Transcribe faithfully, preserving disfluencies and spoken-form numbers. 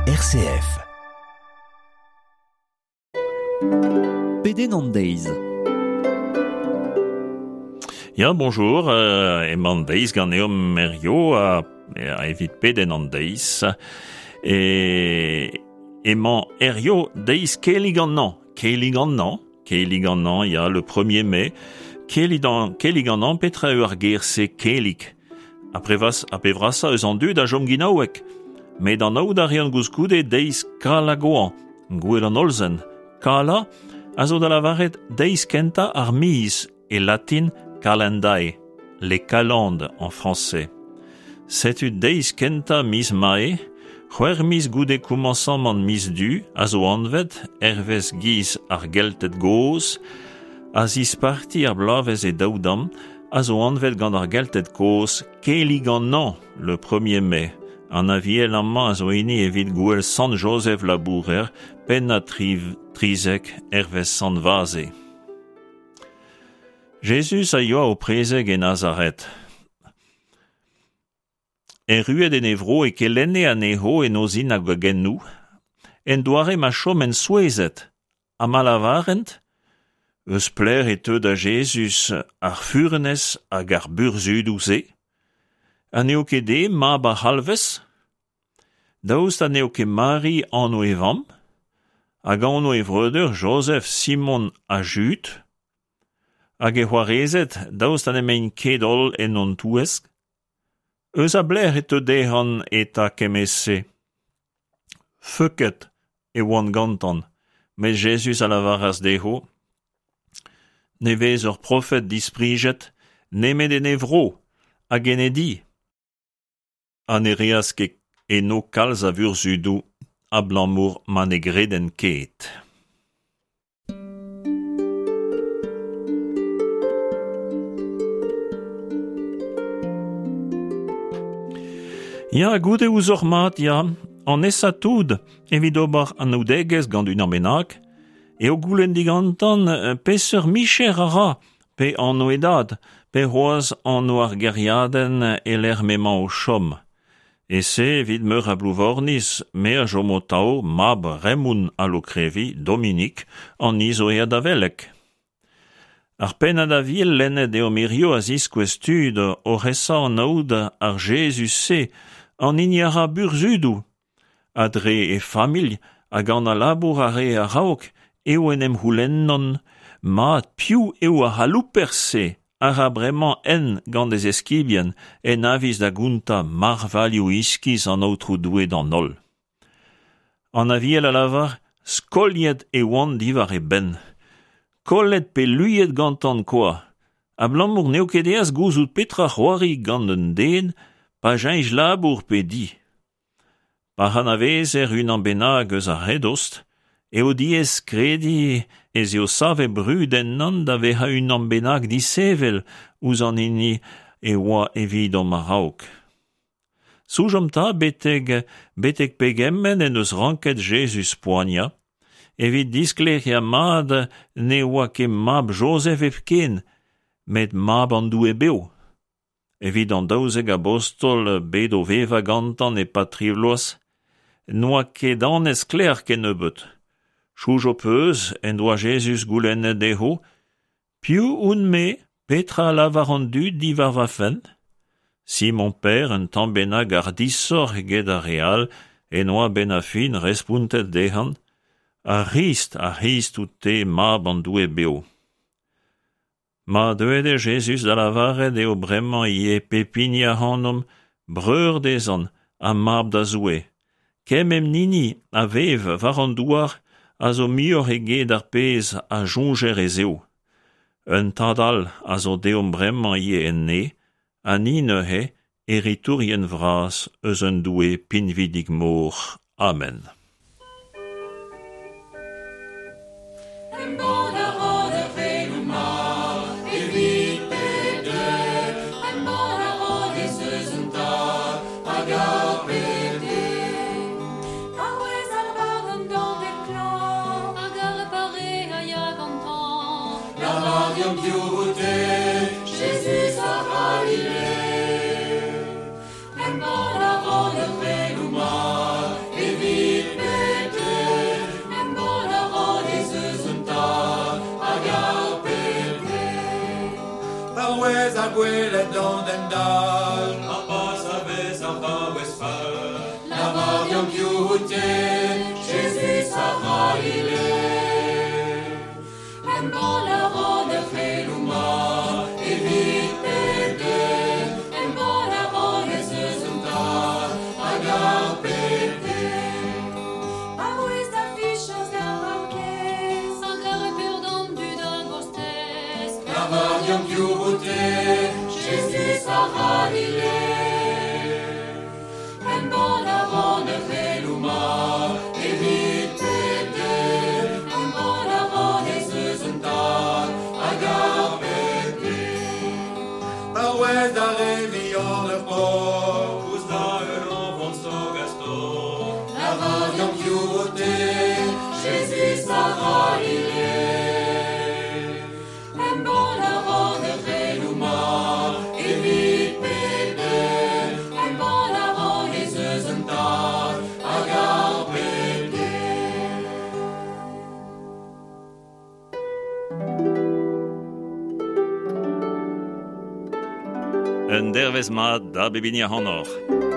R C F. Pedenn an deiz. Ya, bonjour, euh, emañ an deiz ganeomp hirio a, a evit pedenn an deiz. E emañ hirio deiz Kelig an Hañv. Kelig an Hañv, Kelig an Hañv, ya, le premier mai. Kelig an, Kelig an Hañv, petra eo ar ger-se Kelig? A prevas, a pevrasa eus an dud a jom ginaouek. Met an aout a rean gouskoude deiz Kala Goan, gouel an olzen. Kala a zo da lavaret deiz kenta ar miz e latin calendae, les calendes en français. Setu deiz kenta miz mae, c'hwec'h miz goude komañsamant miz du a zo anvet hervez giz ar Gelted gozh, a zisparti ar bloavezh e daou damm, a zo anvet gant ar Gelted kozh Kelig an Hañv, le premier mai. An aviel amañ a zo hini evit gouel Sant Joseph Labourer, pennad tri, trizek hervez Sant Vaze. Jezuz a yoa o prezeg e Nazaret. Erruet en e vro e kelenne anezho en o zinagogennoù, en doare ma choment souezhet, ha ma lavarent, eus pelec'h e teu da Jezuz ar furnez hag ar burzhudoù-se? Ha n'eo ket eñ mab ar c'halvez? Daoust ha n'eo ket Mari anv e vamm? Hag anv e vreudeur Joseph, Simon ha Jud? Hag e c'hoarezed, daoust ha n'emaint ket holl en hon touesk? Eus a belec'h e teu dezhañ eta kement-se? Feuket e oant gantañ, met Jezuz a lavaras dezho, ne vez ur profed disprijet nemet en e vro hag en e di. Ha ne reas ket eno kalz a vurzhudoù abalamour ma ne gredent ket. Ya, goude ouzoc'h mat, ya, an aesañ tout evit ober anaoudegezh gant unan bennak, eo goulenn digantan peseurt micher a ra, pe anv e dad, pe c'hoazh anv ar gêriadenn e-lec'h m'emañ o chom. E se evit meur a Blouvorniz, me a chomo atav mab Raymond a Lokrevi, Dominique, an hini zo aet da veleg. Ar pennad aviel lennet deomp hirio a ziskouez tud oc'h esa anaout ar Jezuz-se, an hini a ra burzhudoù. Ha dre e familh hag an a labour a re a-raok eo en em c'houlennont mat piv eo ar c'halouper-se a ra bremañ en gant e zeskibien en aviz da gontañ marvailhoù iskis an Aotrou Doue d'an holl. An aviel a lavar skoliet e oant diwar e benn. Kollet pe luiet gantan kwa. Abalamour n'eo ket aes gouzout petra c'hoari gant un den pa cheñch labour pe di. Pa anavezer unan bennak eus ar re dost, eo diaes krediñ ez eo savet brud ennañ da vezañ unan bennak disheñvel ouzh an hini e oa evidomp a-raok. Soñjomp 'ta betek, betek pegement en deus ranket Jezuz poaniañ, evit disklêriañ mat ne oa ket mab Joseph hepken, met mab an Doue bev. Evit an daouzek abostol bet o vevañ gantañ e-pad tri bloaz, n'oa ket anez sklaer kennebeut. Soñj ho peus en doa Jezuz goulennet dezho, piv on-me, petra a lavar an dud diwar va fenn? Simon Pêr un tamm bennak hardishoc'h eget ar re all en oa benn ar fin respontet dezhañ, ar C'hrist, ar C'hrist out-te mab an Doue bev. Ma deuet eo Jezuz da lavaret eo bremañ ivez pep hini ac'hanomp breur dezhañ ha mab da Zoue. Kement hini a vev war an douar a zo muioc'h eget ar pezh a soñjer ez eo. Un tad all a zo deomp bremañ ivez en neñv, ha ni neuze heritourien vras eus un Doue pinvidik-mor. Amen. Embann a ran ar c'heloù mat evit pep den. Embann a ran ez eus un tad hag a bep den. A-wezh ar barn d'an klañv, hag ar pare a ya gantañ. Lavar deomp piv out-te, Jezuz a C'halile. Embann a ran ar c'heloù mat evit gwelet an den dal. Ha pas a vez ar vaouez fall. Lavar deomp piv out-te, Jezuz a C'halile. Embann a ran ur c'heloù mat Evit pep den, Embann a ran ez eus un tad hag ar pep den. Arouez da fichañs d'ar paourkaezh. Hag ar peur d'an dud a gostez. Lavar deomp piv out-te, Jezuz a C'halile. Embann a ran ur C'heloù mat evit pep den, Embann a ran ez eus eus un tad hag ar pep den. Paouez da re vihan ur pok, Ouzh da ul o vont stok a stok. Lavar deomp piv out-te, Jezuz a C'halile. Embann a ran ur C'heloù mat evit pep den, Embann a ran ez eus eus un tad hag ar pep den. Un dervez mat da bep hini ac'hanoc'h.